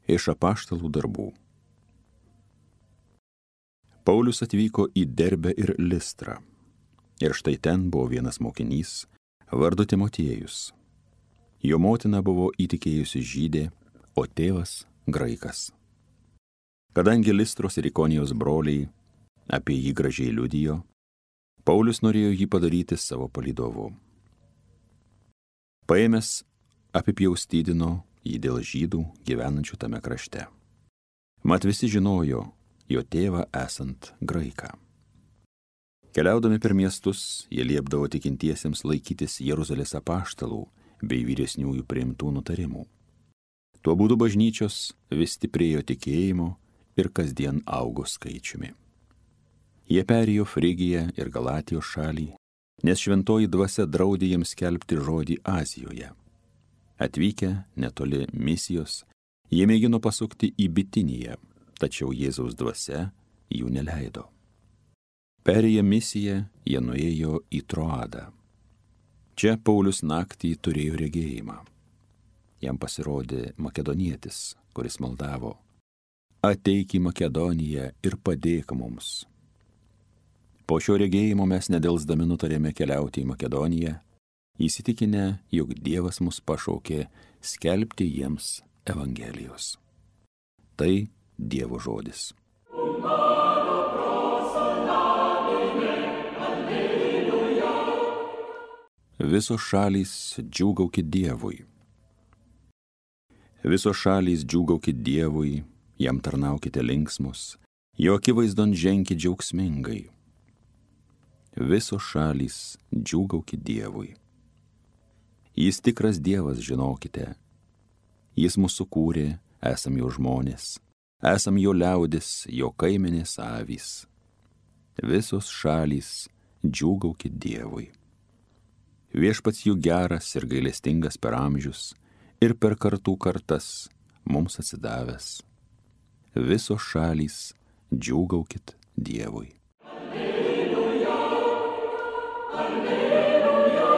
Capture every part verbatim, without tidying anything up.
Iš apaštalų darbų. Paulius atvyko į Derbę ir Listrą. Ir štai ten buvo vienas mokinys, vardu Timotiejus. Jo motina buvo įtikėjusi žydė, o tėvas graikas. Kadangi Listros ir Ikonijos broliai apie jį gražiai liudijo, Paulius norėjo jį padaryti savo palydovu. Paėmęs apipjaustydino jį dėl žydų gyvenančių tame krašte. Mat visi žinojo jo tėvą esant graiką. Keliaudami per miestus, jie liepdavo tikintiesiems laikytis Jeruzalės apaštalų bei vyresniųjų priimtų nutarimų. Tuo būdu bažnyčios vis stiprėjo tikėjimo ir kasdien augo skaičiumi. Jie perėjo Frigiją ir Galatijos šalį, nes šventoji dvasia draudė jiems skelbti žodį Azijoje. Atvykę netoli Misijos, jie mėgino pasukti į Bitiniją, tačiau Jėzaus dvasia jų neleido. Perėję Misiją, jie nuėjo į Troadą. Čia Paulius naktį turėjo regėjimą. Jam pasirodė makedonietis, kuris maldavo: ateik į Makedoniją ir padėk mums. Po šio regėjimo mes nedelsdami nutarėme keliauti į Makedoniją, įsitikinę, jog Dievas mus pašaukė skelbti jiems Evangelijos. Tai Dievo žodis. Visos šalys džiūgaukit Dievui. Visos šalys džiūgaukit Dievui, jam tarnaukite linksmus, jo akivaizdon ženkit džiaugsmingai. Visos šalys džiūgaukit Dievui. Jis tikras Dievas, žinokite. Jis mus sukūrė, esam jo žmonės, esam jo liaudis, jo kaimenės avys. Visos šalys džiūgaukit Dievui. Viešpats jų geras ir gailestingas per amžius ir per kartų kartas mums atsidavęs. Visos šalys džiūgaukit Dievui. Alleluja, alleluja.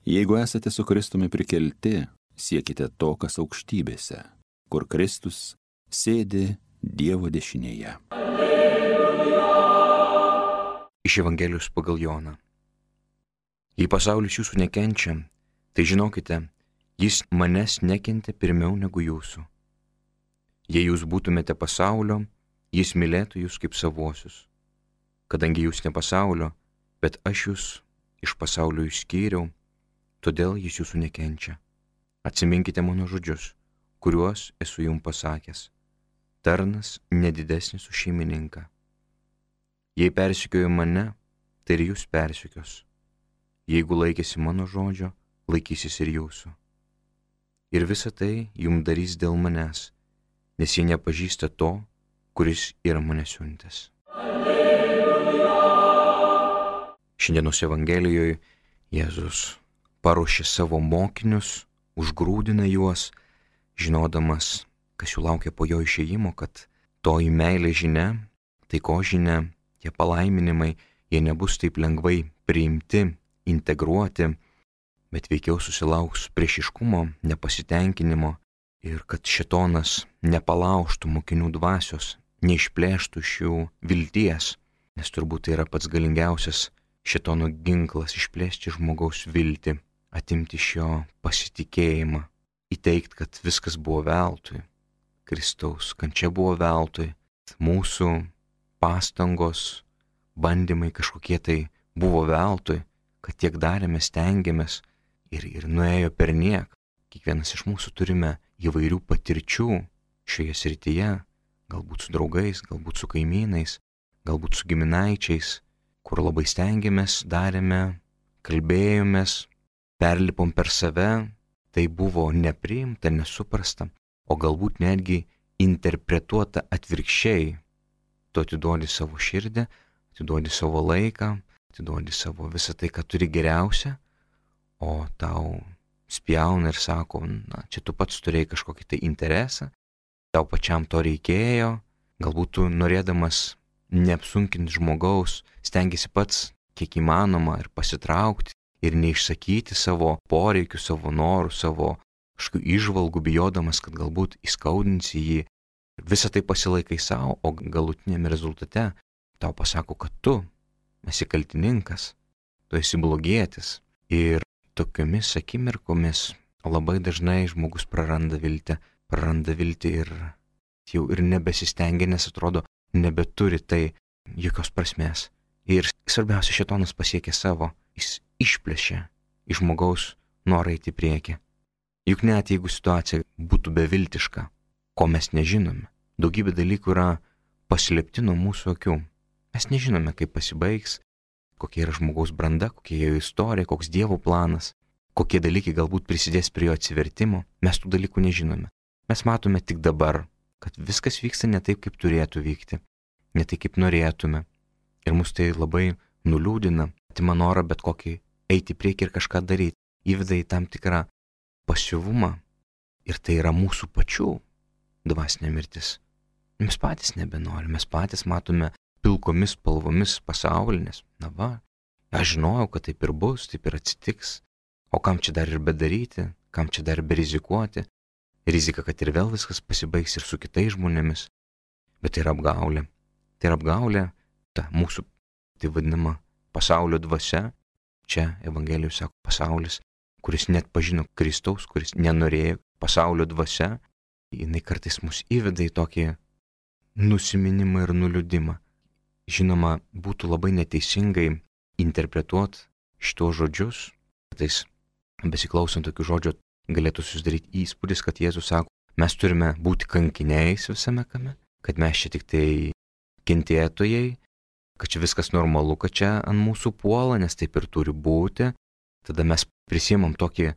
Jeigu esate su Kristumi prikelti, siekite to, kas aukštybėse, kur Kristus sėdi Dievo dešinėje. Alleluja. Iš Evangelijos pagal Joną. Jei pasaulis jūsų nekenčia, tai žinokite, jis manęs nekentė pirmiau negu jūsų. Jei jūs būtumėte pasaulio, jis mylėtų jūs kaip savuosius. Kadangi jūs ne pasaulio, bet aš jūs iš pasaulio išskyriau, todėl jis jūsų nekenčia. Atsiminkite mano žodžius, kuriuos esu jums pasakęs. Tarnas nedidesnis už šeimininką. Jei persekiojo mane, tai ir jūs persekios. Jeigu laikėsi mano žodžio, laikysis ir jūsų. Ir visa tai jums darys dėl manęs, nes jie nepažįsta to, kuris yra mane siuntęs. Alleluja. Šiandienos Evangelijoje Jėzus paruošė savo mokinius, užgrūdina juos, žinodamas, kas jų laukia po jo išėjimo, kad toji meilė žinia, taiko žinia, tie palaiminimai, jie nebus taip lengvai priimti, integruoti, bet veikiau susilauks priešiškumo, nepasitenkinimo ir kad šėtonas nepalaužtų mokinių dvasios, neišplėštų iš jų vilties, nes turbūt tai yra pats galingiausias šėtono ginklas — išplėšti žmogaus viltį, atimti iš jo pasitikėjimą, įteikti, kad viskas buvo veltui, Kristaus kančia buvo veltui, mūsų pastangos, bandymai kažkokie tai buvo veltui, kad tiek darėme, stengiamės ir, ir nuėjo per niek. Kiekvienas iš mūsų turime įvairių patirčių šioje srityje, galbūt su draugais, galbūt su kaimynais, galbūt su giminaičiais, kur labai stengiamės, darėme, kalbėjomės, perlipom per save, tai buvo nepriimta, nesuprasta, o galbūt netgi interpretuota atvirkščiai. Tu atiduodi savo širdį, atiduodi savo laiką, atiduodi savo visą tai, ką turi geriausia, o tau spjauna ir sako, na, čia tu pats turėjai kažkokį tai interesą, tau pačiam to reikėjo, galbūt tu norėdamas neapsunkinti žmogaus, stengiasi pats kiek įmanoma ir pasitraukti ir neišsakyti savo poreikių, savo norų, savo kažkokių įžvalgų, bijodamas, kad galbūt įskaudinsi jį. Visą tai pasilaikai savo, o galutinėme rezultate tau pasako, kad tu esi kaltininkas, tu esi blogietis. Ir tokiomis akimirkomis labai dažnai žmogus praranda viltį, praranda viltį ir jau ir nebesistengia, nes atrodo, nebeturi tai jokios prasmės. Ir svarbiausia, šėtonas pasiekė savo, jis išplėšė iš žmogaus norą eiti į priekį. Juk net jeigu situacija būtų beviltiška, ko mes nežinome, daugybė dalykų yra paslėpti nuo mūsų akių. Mes nežinome, kaip pasibaigs, kokia yra žmogaus branda, kokia jo istorija, koks Dievo planas, kokie dalykai galbūt prisidės prie jo atsivertimo. Mes tų dalykų nežinome. Mes matome tik dabar, kad viskas vyksta ne taip, kaip turėtų vykti, ne taip, kaip norėtume. Ir mus tai labai nuliūdina, atima norą bet kokį eiti į priekį ir kažką daryti, įveda į tam tikrą pasyvumą. Ir tai yra mūsų pačių dvasinė mirtis. Mes patys nebenorime, mes patys matome pilkomis spalvomis pasaulinės. Na va, aš žinojau, kad taip ir bus, taip ir atsitiks. O kam čia dar ir bedaryti, kam čia dar ir berizikuoti? Rizika, kad ir vėl viskas pasibaigs ir su kitais žmonėmis. Bet tai yra apgaulė. Tai yra apgaulė, ta mūsų, tai vadinama, pasaulio dvasia. Čia Evangelijos sako pasaulis, kuris net pažino Kristaus, kuris nenorėjo, pasaulio dvasia. Jinai kartais mus įveda į tokį nusiminimą ir nuliūdimą. Žinoma, būtų labai neteisingai interpretuoti šitos žodžius. Kartais besiklausant tokių žodžių galėtų susidaryti įspūdis, kad Jėzus sako, mes turime būti kankiniais visame kame, kad mes čia tik tai kentėtojai, kad čia viskas normalu, kad čia ant mūsų puola, nes taip ir turi būti. Tada mes prisiimam tokį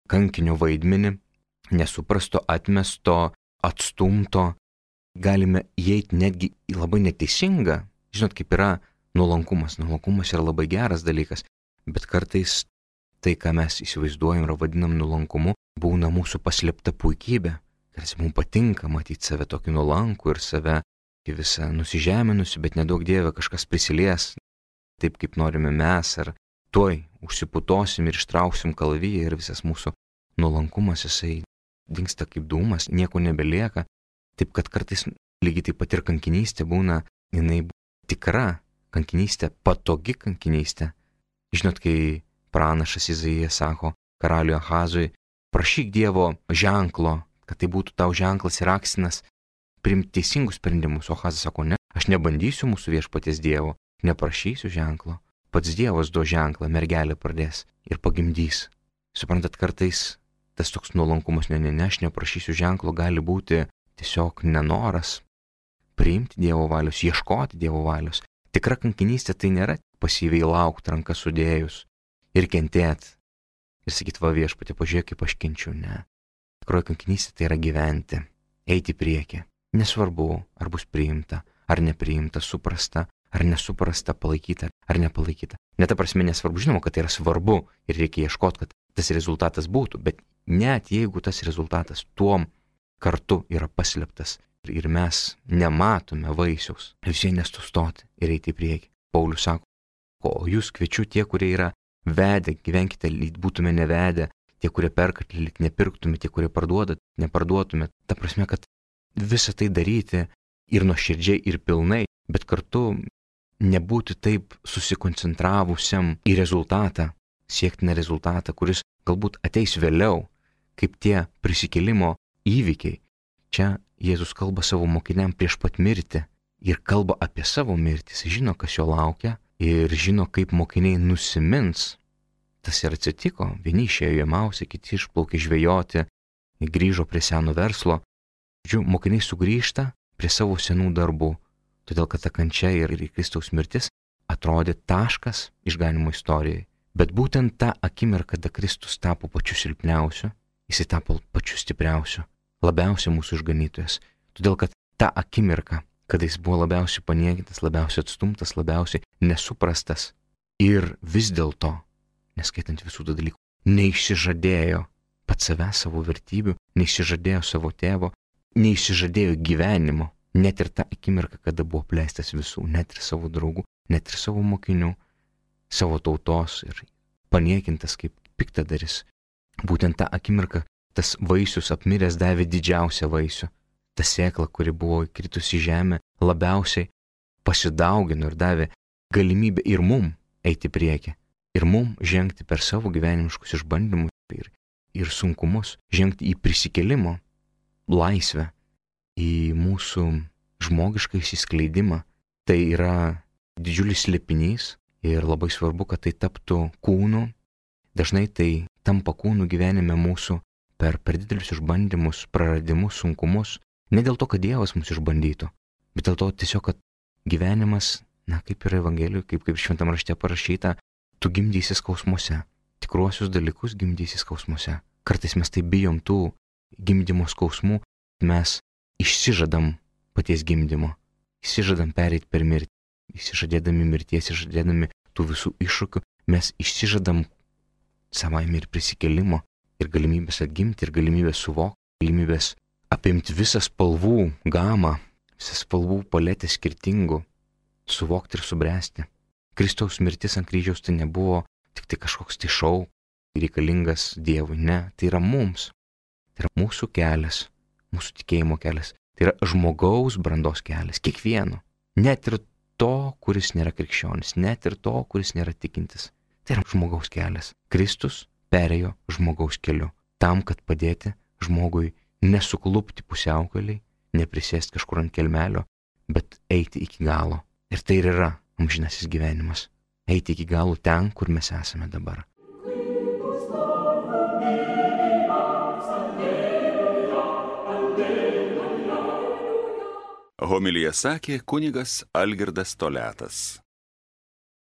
kankinio vaidmenį, nesuprasto, atmesto, atstumto. Galime įeiti netgi į labai neteisingą. Žinot, kaip yra nuolankumas. Nuolankumas yra labai geras dalykas, bet kartais tai, ką mes įsivaizduojam ir vadinam nuolankumu, būna mūsų paslėpta puikybė. Kartais mums patinka matyti save tokį nuolankų ir save visą nusižeminusi, bet nedaug Dieve kažkas prisilies taip, kaip norime mes, ar tuoj užsiputosim ir ištrauksim kalaviją ir visas mūsų nuolankumas, jisai dingsta kaip dūmas, nieko nebelieka. Taip, kad kartais lygiai taip pat ir kankinystė būna, jinai tikra kankinystė, patogi kankinystė. Žinot, kai pranašas Izaijas sako karaliui Ahazui, prašyk Dievo ženklo, kad tai būtų tau ženklas ir akstinas priimti teisingus sprendimus. O Ahazas sako, ne, aš nebandysiu mūsų viešpaties Dievo, neprašysiu ženklo. Pats Dievas duos ženklą, mergelė pradės ir pagimdys. Suprantat, kartais tas toks nuolankumas, ne, ne, ne, aš neprašysiu ženklo, gali būti tiesiog nenoras priimti Dievo valios, ieškoti Dievo valios. Tikra kankinystė tai nėra pasyviai laukti ranką sudėjus ir kentėti. Ir sakyti, va viešpatie, pažiūrėk, kaip aš kenčiu. Ne. Tikroji kankinystė tai yra gyventi, eiti į priekį. Nesvarbu, ar bus priimta, ar nepriimta, suprasta, ar nesuprasta, palaikyta, ar nepalaikyta. Net ta prasme nesvarbu, žinoma, kad tai yra svarbu ir reikia ieškoti, kad tas rezultatas būtų, bet net jeigu tas rezultatas tuom kartu yra paslėptas ir mes nematome vaisiaus, vis vien nestustoti ir eiti į priekį. Paulius sako, o jūs kviečiu tie, kurie yra vedę, gyvenkite, lyg būtume nevedę, tie, kurie perkat, lyg nepirktume, tie, kurie parduodat, neparduotume. Ta prasme, kad visą tai daryti ir nuoširdžiai, ir pilnai, bet kartu nebūti taip susikoncentravusiam į rezultatą, siektiną rezultatą, kuris galbūt ateis vėliau, kaip tie prisikėlimo įvykiai. Čia Jėzus kalba savo mokiniam prieš pat mirtį ir kalba apie savo mirtį. Jis žino, kas jo laukia ir žino, kaip mokiniai nusimins. Tas ir atsitiko. Vieni išėjo į Emausą, kiti išplaukė žvejoti, grįžo prie seno verslo. Žiūrėjau, mokiniai sugrįžta prie savo senų darbų, todėl kad ta kančia ir Kristaus mirtis atrodė taškas išganimo istorijai. Bet būtent tą akimirką, kada Kristus tapo pačiu silpniausiu, jis tapo pačiu stipriausiu, labiausiai mūsų išganytojas. Todėl kad tą akimirką, kada jis buvo labiausiai paniekintas, labiausiai atstumtas, labiausiai nesuprastas ir vis dėlto, neskaitant visų tų dalykų, neišsižadėjo pats savęs, savo vertybių, neišsižadėjo savo tėvo, neišsižadėjo gyvenimo, net ir tą akimirką, kada buvo pleistas visų, net ir savo draugų, net ir savo mokinių, savo tautos ir paniekintas kaip piktadaris. Būtent tą akimirką tas vaisius apmiręs davė didžiausią vaisių. Ta sėkla, kuri buvo įkritusi į žemę, labiausiai pasidaugino ir davė galimybę ir mum eiti prieki. Ir mum žengti per savo gyvenimiškus išbandymus ir, ir sunkumus, žengti į prisikėlimo laisvę, į mūsų žmogišką įsiskleidimą. Tai yra didžiulis slėpinys ir labai svarbu, kad tai taptų kūnu. Dažnai tai tampa kūnu gyvenime mūsų per, per didelius išbandymus, praradimus, sunkumus. Ne dėl to, kad Dievas mus išbandytų, bet dėl to tiesiog, kad gyvenimas, na kaip yra Evangelijoje, kaip, kaip šventam rašte parašyta, tu gimdysi skausmuose. Tikruosius dalykus gimdysi skausmuose. Kartais mes tai bijom tų gimdymo skausmų, mes išsižadam paties gimdymo, išsižadam pereiti per mirtį, išsižadėdami mirties, išsižadėdami tų visų iššūkių, mes išsižadam savaime ir prisikėlimo, ir galimybės atgimti, ir galimybės suvokti, galimybės apimti visą spalvų gamą, visą spalvų paletę skirtingų, suvokti ir subręsti. Kristaus mirtis ant kryžiaus tai nebuvo tik tai kažkoks tai šou, reikalingas Dievui, ne, tai yra mums, tai yra mūsų kelias, mūsų tikėjimo kelias, tai yra žmogaus brandos kelias, kiekvieno, net ir to, kuris nėra krikščionis, net ir to, kuris nėra tikintis, tai yra žmogaus kelias. Kristus perėjo žmogaus keliu, tam, kad padėti žmogui nesuklupti pusiaukaliai, neprisėsti kažkur ant kelmelio, bet eiti iki galo. Ir tai ir yra amžinasis gyvenimas. Eiti iki galo ten, kur mes esame dabar. Homiliją sakė kunigas Algirdas Toliatas.